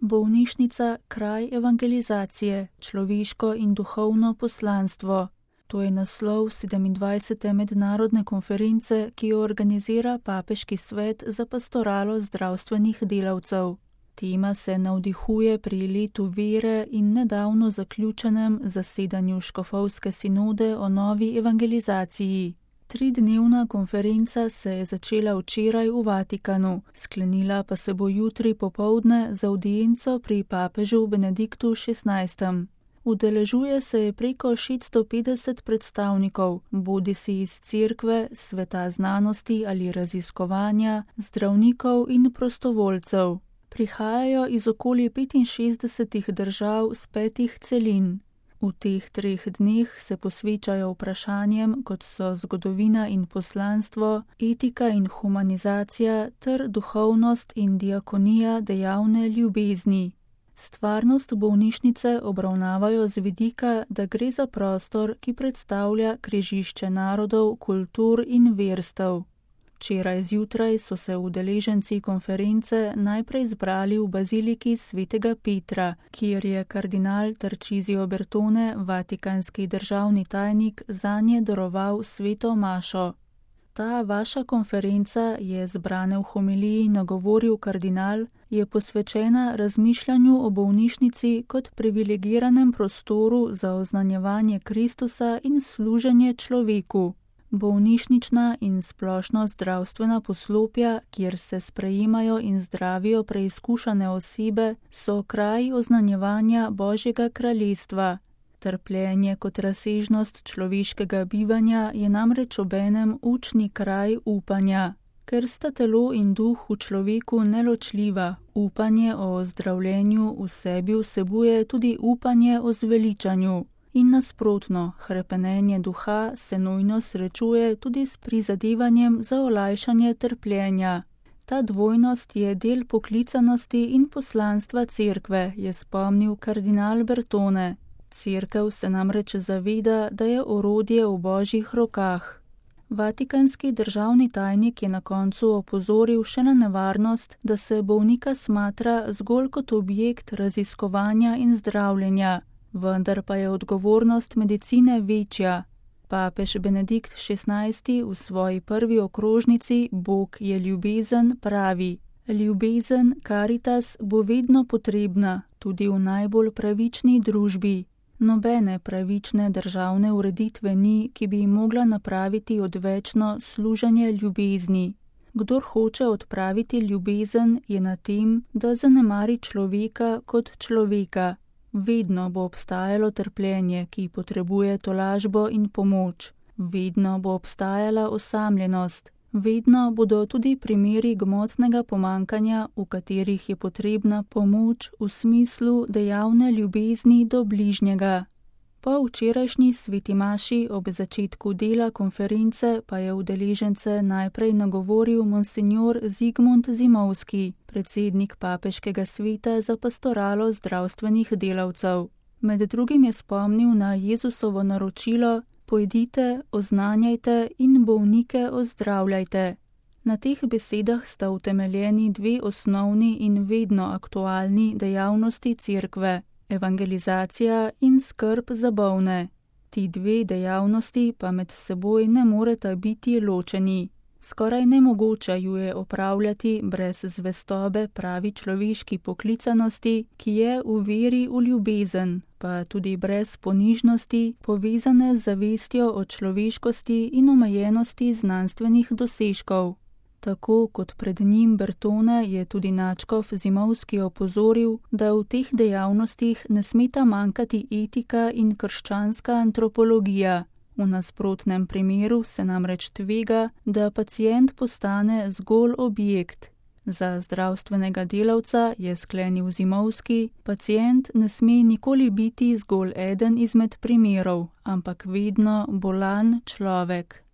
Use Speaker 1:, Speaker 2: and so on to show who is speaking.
Speaker 1: Bolnišnica kraj evangelizacije, človeško in duhovno poslanstvo. To je naslov 27. mednarodne konference, ki jo organizira Papeški svet za pastoralo zdravstvenih delavcev. Tema se navdihuje pri letu vere in nedavno zaključenem zasedanju škofovske sinode o novi evangelizaciji. 3-dnevna konferenca se je začela včeraj v Vatikanu, sklenila pa se bo jutri popoldne z avdienco pri papežu Benediktu XVI. Udeležuje se je preko 650 predstavnikov, bodisi iz cerkve, sveta znanosti ali raziskovanja, zdravnikov in prostovoljcev. Prihajajo iz okoli 65 držav z 5 celin. V teh 3 dneh se posvečajo vprašanjem, kot so zgodovina in poslanstvo, etika in humanizacija ter duhovnost in diakonija dejavne ljubezni. Stvarnost bolnišnice obravnavajo z vidika, da gre za prostor, ki predstavlja križišče narodov, kultur in verstev. Včeraj zjutraj so se udeleženci konference najprej zbrali v baziliki svetega Petra, kjer je kardinal Tarcisio Bertone, vatikanski državni tajnik, zanje daroval sveto mašo. Ta vaša konferenca, je zbrane v homiliji nagovoril kardinal, je posvečena razmišljanju o bolnišnici kot privilegiranem prostoru za oznanjevanje Kristusa in služenje človeku. Bolnišnična in splošno zdravstvena poslopja, kjer se sprejemajo in zdravijo preizkušane osebe, so kraj oznanjevanja Božjega kraljestva. Trpljenje kot razsežnost človeškega bivanja je namreč obenem učni kraj upanja. Ker sta telo in duh v človeku neločljiva, upanje o ozdravljenju v sebi vsebuje tudi upanje o zveličanju. In nasprotno, hrepenenje duha se nujno srečuje tudi s prizadevanjem za olajšanje trpljenja. Ta dvojnost je del poklicanosti in poslanstva cerkve, je spomnil kardinal Bertone. Cerkev se namreč zaveda, da je orodje v Božjih rokah. Vatikanski državni tajnik je na koncu opozoril še na nevarnost, da se bolnika smatra zgolj kot objekt raziskovanja in zdravljenja. Vendar pa je odgovornost medicine večja. Papež Benedikt XVI v svoji prvi okrožnici Bog je ljubezen pravi: ljubezen, caritas, bo vedno potrebna, tudi v najbolj pravični družbi. Nobene pravične državne ureditve ni, ki bi mogla napraviti odvečno služenje ljubezni. Kdor hoče odpraviti ljubezen, je na tem, da zanemari človeka kot človeka. Vedno bo obstajalo trpljenje, ki potrebuje tolažbo in pomoč. Vedno bo obstajala osamljenost. Vedno bodo tudi primeri gmotnega pomankanja, v katerih je potrebna pomoč v smislu dejavne ljubezni do bližnjega. Po včerajšnji sveti maši ob začetku dela konference pa je udeležence najprej nagovoril monsinjor Zigmund Zimovski, predsednik Papeškega sveta za pastoralo zdravstvenih delavcev. Med drugim je spomnil na Jezusovo naročilo: pojdite, oznanjajte in bolnike ozdravljajte. Na teh besedah sta utemeljeni 2 osnovni in vedno aktualni dejavnosti cerkve: evangelizacija in skrb za bolne. Ti 2 dejavnosti pa med seboj ne moreta biti ločeni. Skoraj nemogoče ju je opravljati brez zvestobe pravi človeški poklicanosti, ki je v veri v ljubezen, pa tudi brez ponižnosti, povezane z zavestjo o človeškosti in omejenosti znanstvenih dosežkov. Tako kot pred njim Bertone je tudi nadškof Zimovski opozoril, da v teh dejavnostih ne smeta manjkati etika in krščanska antropologija. V nasprotnem primeru se namreč tvega, da pacient postane zgolj objekt. Za zdravstvenega delavca, je sklenil Zimovski, pacient ne sme nikoli biti zgolj eden izmed primerov, ampak vedno bolan človek.